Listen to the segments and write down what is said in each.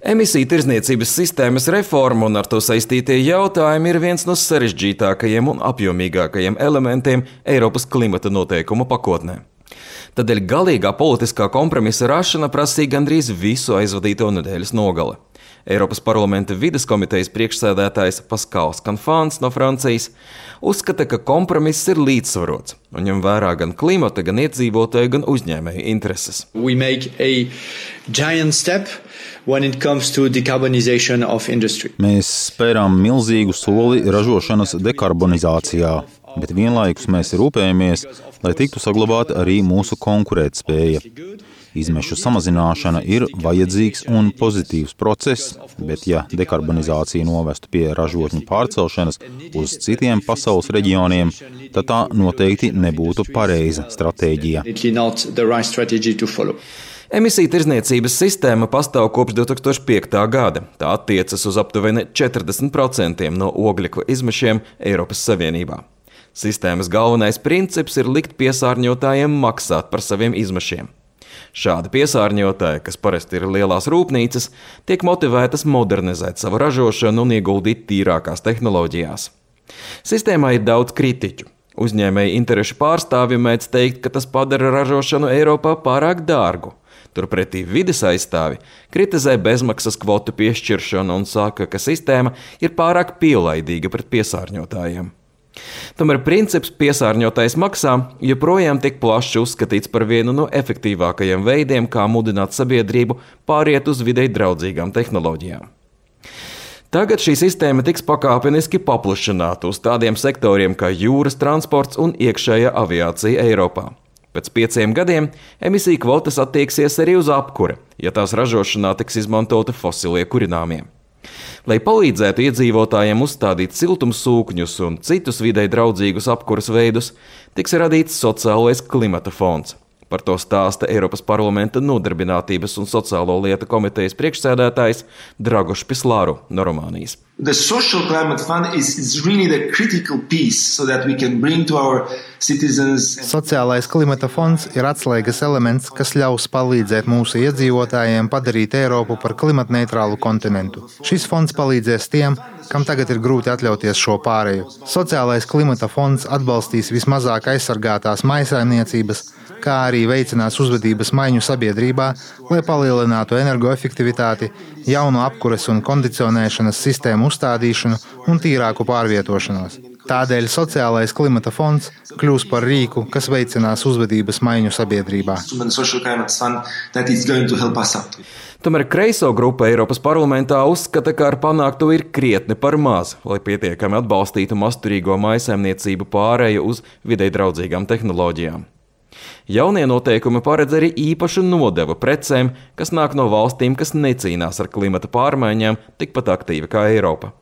Emisiju tirdzniecības sistēmas reforma un ar to saistītie jautājumi ir viens no sarežģītākajiem un apjomīgākajiem elementiem Eiropas klimata noteikumu pakotnē. Tādēļ galīgā politiskā kompromisa rašana prasīja gandrīz visu aizvadīto nedēļas nogali. Eiropas parlamenta vides komitejas priekšsēdētājs Pascals Canfins no Francijas uzskata, ka kompromiss ir līdzsvarots un ņem vērā gan klimata, gan iedzīvotāju, gan uzņēmēju intereses. Mēs spērām milzīgu soli ražošanas dekarbonizācijā, bet vienlaikus mēs rūpējamies, lai tiktu saglabāta arī mūsu konkurētspēja. Izmešu samazināšana ir vajadzīgs un pozitīvs process, bet ja dekarbonizācija novestu pie ražotņu pārcelšanas uz citiem pasaules reģioniem, tad tā noteikti nebūtu pareiza stratēģija. Emisiju tirdzniecības sistēma pastāv kopš 2005. gada. Tā attiecas uz aptuveni 40% no ogļekla izmešiem Eiropas Savienībā. Sistēmas galvenais princips ir likt piesārņotājiem maksāt par saviem izmešiem. Šādi piesārņotāji, kas parasti ir lielās rūpnīcas, tiek motivētas modernizēt savu ražošanu un ieguldīt tīrākās tehnoloģijās. Sistēmā ir daudz kritiķu. Uzņēmēji interešu pārstāvji mēdz teikt, ka tas padara ražošanu Eiropā pārāk dārgu. Turpretī vides aizstāvi kritizē bezmaksas kvotu piešķiršanu un saka, ka sistēma ir pārāk pielaidīga pret piesārņotājiem. Tomēr princips piesārņotājs maksā joprojām tiek plaši uzskatīts par vienu no efektīvākajiem veidiem, kā mudināt sabiedrību pāriet uz videi draudzīgām tehnoloģijām. Tagad šī sistēma tiks pakāpeniski paplašināta uz tādiem sektoriem kā jūras transports un iekšējā aviācija Eiropā. Pēc 5 gadiem emisiju kvotas attieksies arī uz apkure, ja tās ražošanā tiks izmantoti fosilie kurināmie. Lai palīdzētu iedzīvotājiem uzstādīt siltumsūkņus un citus videi draudzīgus apkuras veidus, tiks radīts sociālais klimata fonds. Par to stāsta Eiropas parlamenta nodarbinātības un sociālo lietu komitejas priekšsēdētājs Dragoš Pislāru no Rumānijas. The social climate fund is really the critical piece so that we can bring to our citizens. Sociālais klimata fonds ir atslēgas elements, kas ļaus palīdzēt mūsu iedzīvotājiem padarīt Eiropu par klimatneitrālu kontinentu. Šis fonds palīdzēs tiem, kam tagad ir grūti atļauties šo pāreju. Sociālais klimata fonds atbalstīs vismazāk aizsargātās mājsaimniecības, kā arī veicinās uzvedības maiņu sabiedrībā, lai palielinātu energoefektivitāti, jaunu apkures un kondicionēšanas sistēmu uzstādīšanu un tīrāku pārvietošanos. Tādēļ sociālais klimata fonds kļūs par rīku, kas veicinās uzvedības maiņu sabiedrībā. Tomēr kreiso grupa Eiropas parlamentā uzskata, ka ar panākto ir krietni par maz, lai pietiekami atbalstītu masturīgo mājsaimniecību pārēju uz videi draudzīgām tehnoloģijām. Jaunie noteikumi paredz arī īpašu nodevu precēm, kas nāk no valstīm, kas necīnās ar klimata pārmaiņām tikpat aktīvi kā Eiropa.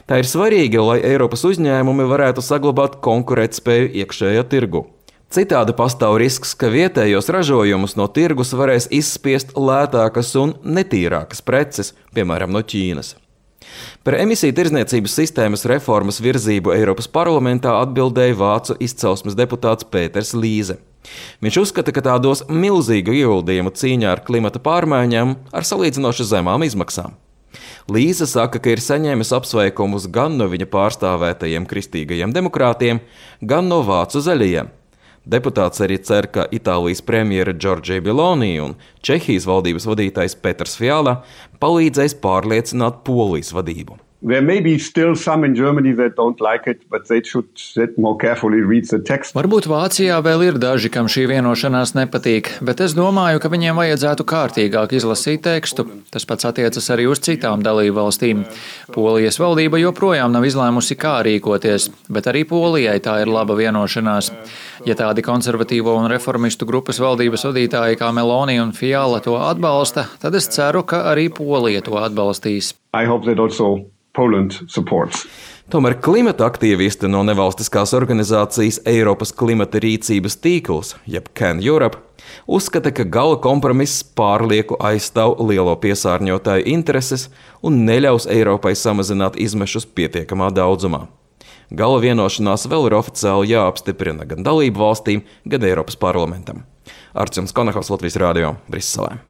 Tā ir svarīga, lai Eiropas uzņēmumi varētu saglabāt konkurētspēju iekšējā tirgu. Citādi pastāv risks, ka vietējos ražojumus no tirgus varēs izspiest lētākas un netīrākas preces, piemēram, no Ķīnas. Par emisiju tirdzniecības sistēmas reformas virzību Eiropas parlamentā atbildēja vācu izcelsmes deputāts Pēters Līze. Viņš uzskata, ka tā dos milzīgu ieguldījumu cīņā ar klimata pārmaiņām ar salīdzinoši zemām izmaksām. Līze saka, ka ir saņēmis apsveikumus gan no viņa pārstāvētajiem kristīgajiem demokrātiem, gan no vācu zaļajiem. Deputāts arī cer, ka Itālijas premjera Giorgia Meloni un Čehijas valdības vadītājs Peters Fiala palīdzēs pārliecināt Polijas vadību. There may be still some in Germany that don't like it, but they should more carefully read the text. Varbūt Vācijā vēl ir daži, kam šī vienošanās nepatīk, bet es domāju, ka viņiem vajadzētu kārtīgāk izlasīt tekstu. Tas pats attiecas arī uz citām dalību valstīm. Polijas valdība joprojām nav izlēmusi, kā rīkoties, bet arī Polijai tā ir laba vienošanās. Ja tādi konservatīvo un reformistu grupas valdības vadītāji kā Meloni un Fiala to atbalsta, tad es ceru, ka arī Polija to atbalstīs. I hope that also Poland supports. Tomēr klimata aktīvisti no nevalstiskās organizācijas Eiropas klimata rīcības tīkls, jeb Can Europe, uzskata, ka gala kompromiss pārlieku aizstāv lielo piesārņotāju intereses un neļaus Eiropai samazināt izmešus pietiekamā daudzumā. Gala vienošanās vēl ir oficiāli jāapstiprina gan dalību valstīm, gan Eiropas parlamentam. Arčuns Konakovs, Latvijas radio, Briselē.